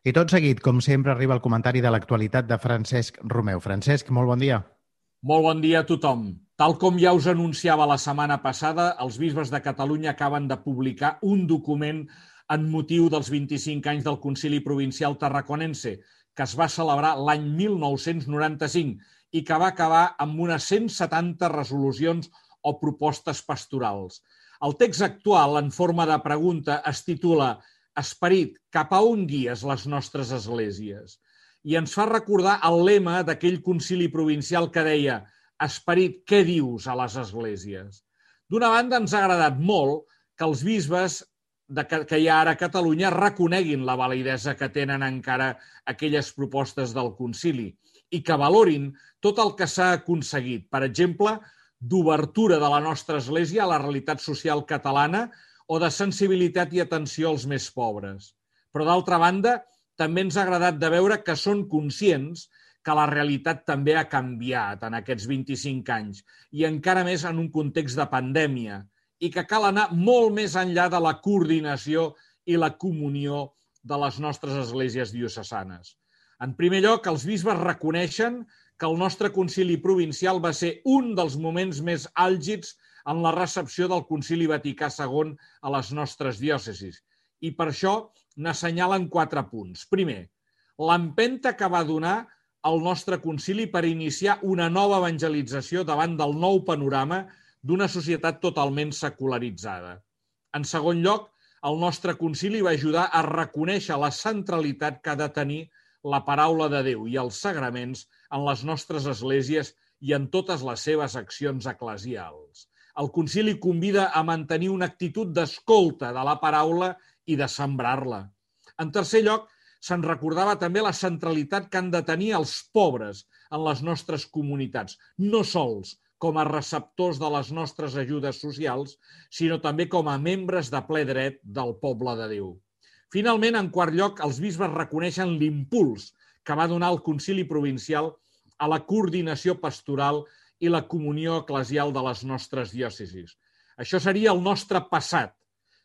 I tot seguit, com sempre, arriba el comentari de l'actualitat de Francesc Romeu. Francesc, molt bon dia. Molt bon dia a tothom. Tal com ja us anunciava la setmana passada, els bisbes de Catalunya acaben de publicar un document en motiu dels 25 anys del Concili Provincial Tarraconense, que es va celebrar l'any 1995 i que va acabar amb unes 170 resolucions o propostes pastorals. El text actual, en forma de pregunta, es titula «Esperit, cap a on guies les nostres esglésies?» i ens fa recordar el lema d'aquell concili provincial que deia «Esperit, què dius a les esglésies?». D'una banda, ens ha agradat molt que els bisbes que hi ha ara a Catalunya reconeguin la validesa que tenen encara aquelles propostes del concili i que valorin tot el que s'ha aconseguit, per exemple, d'obertura de la nostra església a la realitat social catalana o de sensibilitat i atenció als més pobres. Però, d'altra banda, també ens ha agradat de veure que són conscients que la realitat també ha canviat en aquests 25 anys i encara més en un context de pandèmia i que cal anar molt més enllà de la coordinació i la comunió de les nostres esglésies diocesanes. En primer lloc, els bisbes reconeixen que el nostre concili provincial va ser un dels moments més àlgids en la recepció del Concili Vaticà II a les nostres diòcesis i per això n'assenyalen 4 punts. Primer, l'empenta que va donar el nostre concili per iniciar una nova evangelització davant del nou panorama d'una societat totalment secularitzada. En segon lloc, el nostre concili va ajudar a reconèixer la centralitat que ha de tenir la paraula de Déu i els sagraments en les nostres esglésies i en totes les seves accions eclesials. El concili convida a mantenir una actitud d'escolta de la paraula i de sembrar-la. En tercer lloc, se'n recordava també la centralitat que han de tenir els pobres en les nostres comunitats, no sols com a receptors de les nostres ajudes socials, sinó també com a membres de ple dret del poble de Déu. Finalment, en quart lloc, els bisbes reconeixen l'impuls que va donar el concili provincial a la coordinació pastoral i la comunió eclesial de les nostres diòcesis. Això seria el nostre passat,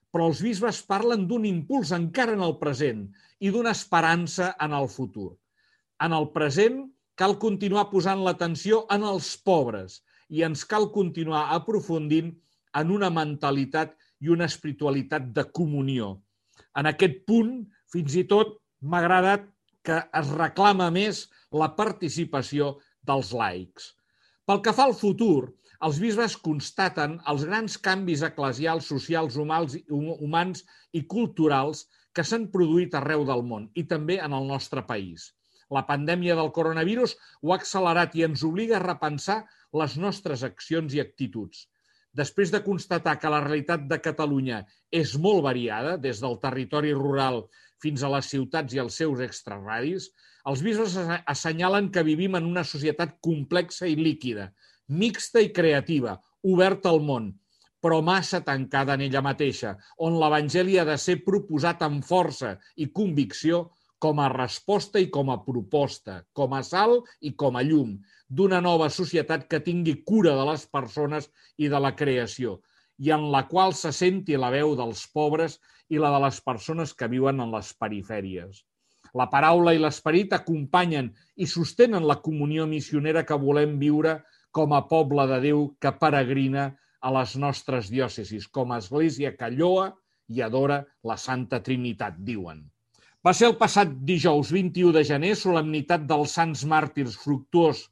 però els bisbes parlen d'un impuls encara en el present i d'una esperança en el futur. En el present cal continuar posant l'atenció en els pobres i ens cal continuar aprofundint en una mentalitat i una espiritualitat de comunió. En aquest punt, fins i tot, m'ha agradat que es reclama més la participació dels laics. Pel que fa al futur, els bisbes constaten els grans canvis eclesials, socials, humans i culturals que s'han produït arreu del món i també en el nostre país. La pandèmia del coronavirus ho ha accelerat i ens obliga a repensar les nostres accions i actituds. Després de constatar que la realitat de Catalunya és molt variada, des del territori rural fins a les ciutats i els seus extrarradis, els bisbes assenyalen que vivim en una societat complexa i líquida, mixta i creativa, oberta al món, però massa tancada en ella mateixa, on l'Evangeli ha de ser proposat amb força i convicció com a resposta i com a proposta, com a sal i com a llum, d'una nova societat que tingui cura de les persones i de la creació, i en la qual se senti la veu dels pobres i la de les persones que viuen en les perifèries. La paraula i l'esperit acompanyen i sostenen la comunió missionera que volem viure com a poble de Déu que peregrina a les nostres diòcesis, com a església que lloa i adora la Santa Trinitat, diuen. Va ser el passat dijous 21 de gener, solemnitat dels Sants Màrtirs Fructuós,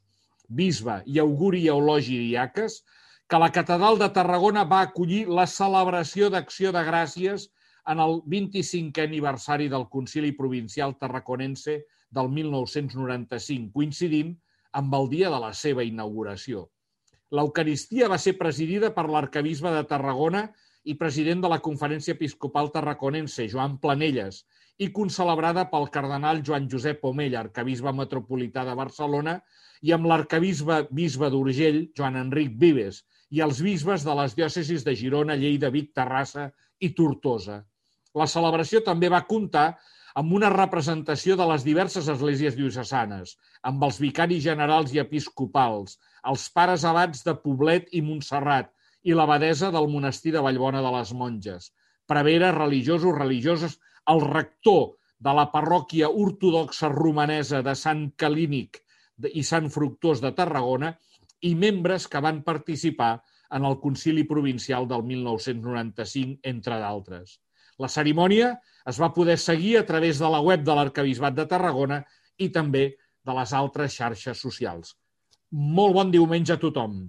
Bisbe i Auguri i Eulogi Diaques, que la Catedral de Tarragona va acollir la celebració d'Acció de Gràcies en el 25è aniversari del Concili Provincial Tarraconense del 1995, coincidint amb el dia de la seva inauguració. L'Eucaristia va ser presidida per l'arquebisbe de Tarragona i president de la Conferència Episcopal Tarraconense, Joan Planelles, i concelebrada pel cardenal Joan Josep Omella, arquebisbe metropolità de Barcelona, i amb l'arquebisbe d'Urgell, Joan Enric Vives, i els bisbes de les diòcesis de Girona, Lleida, Vic, Terrassa i Tortosa. La celebració també va comptar amb una representació de les diverses esglésies diocesanes, amb els vicaris generals i episcopals, els pares abats de Poblet i Montserrat i l'abadesa del monestir de Vallbona de les Monges, preveres, religiosos, religioses, el rector de la parròquia ortodoxa romanesa de Sant Calínic i Sant Fructuós de Tarragona i membres que van participar en el Concili Provincial del 1995, entre d'altres. La cerimònia es va poder seguir a través de la web de l'Arquebisbat de Tarragona i també de les altres xarxes socials. Molt bon diumenge a tothom!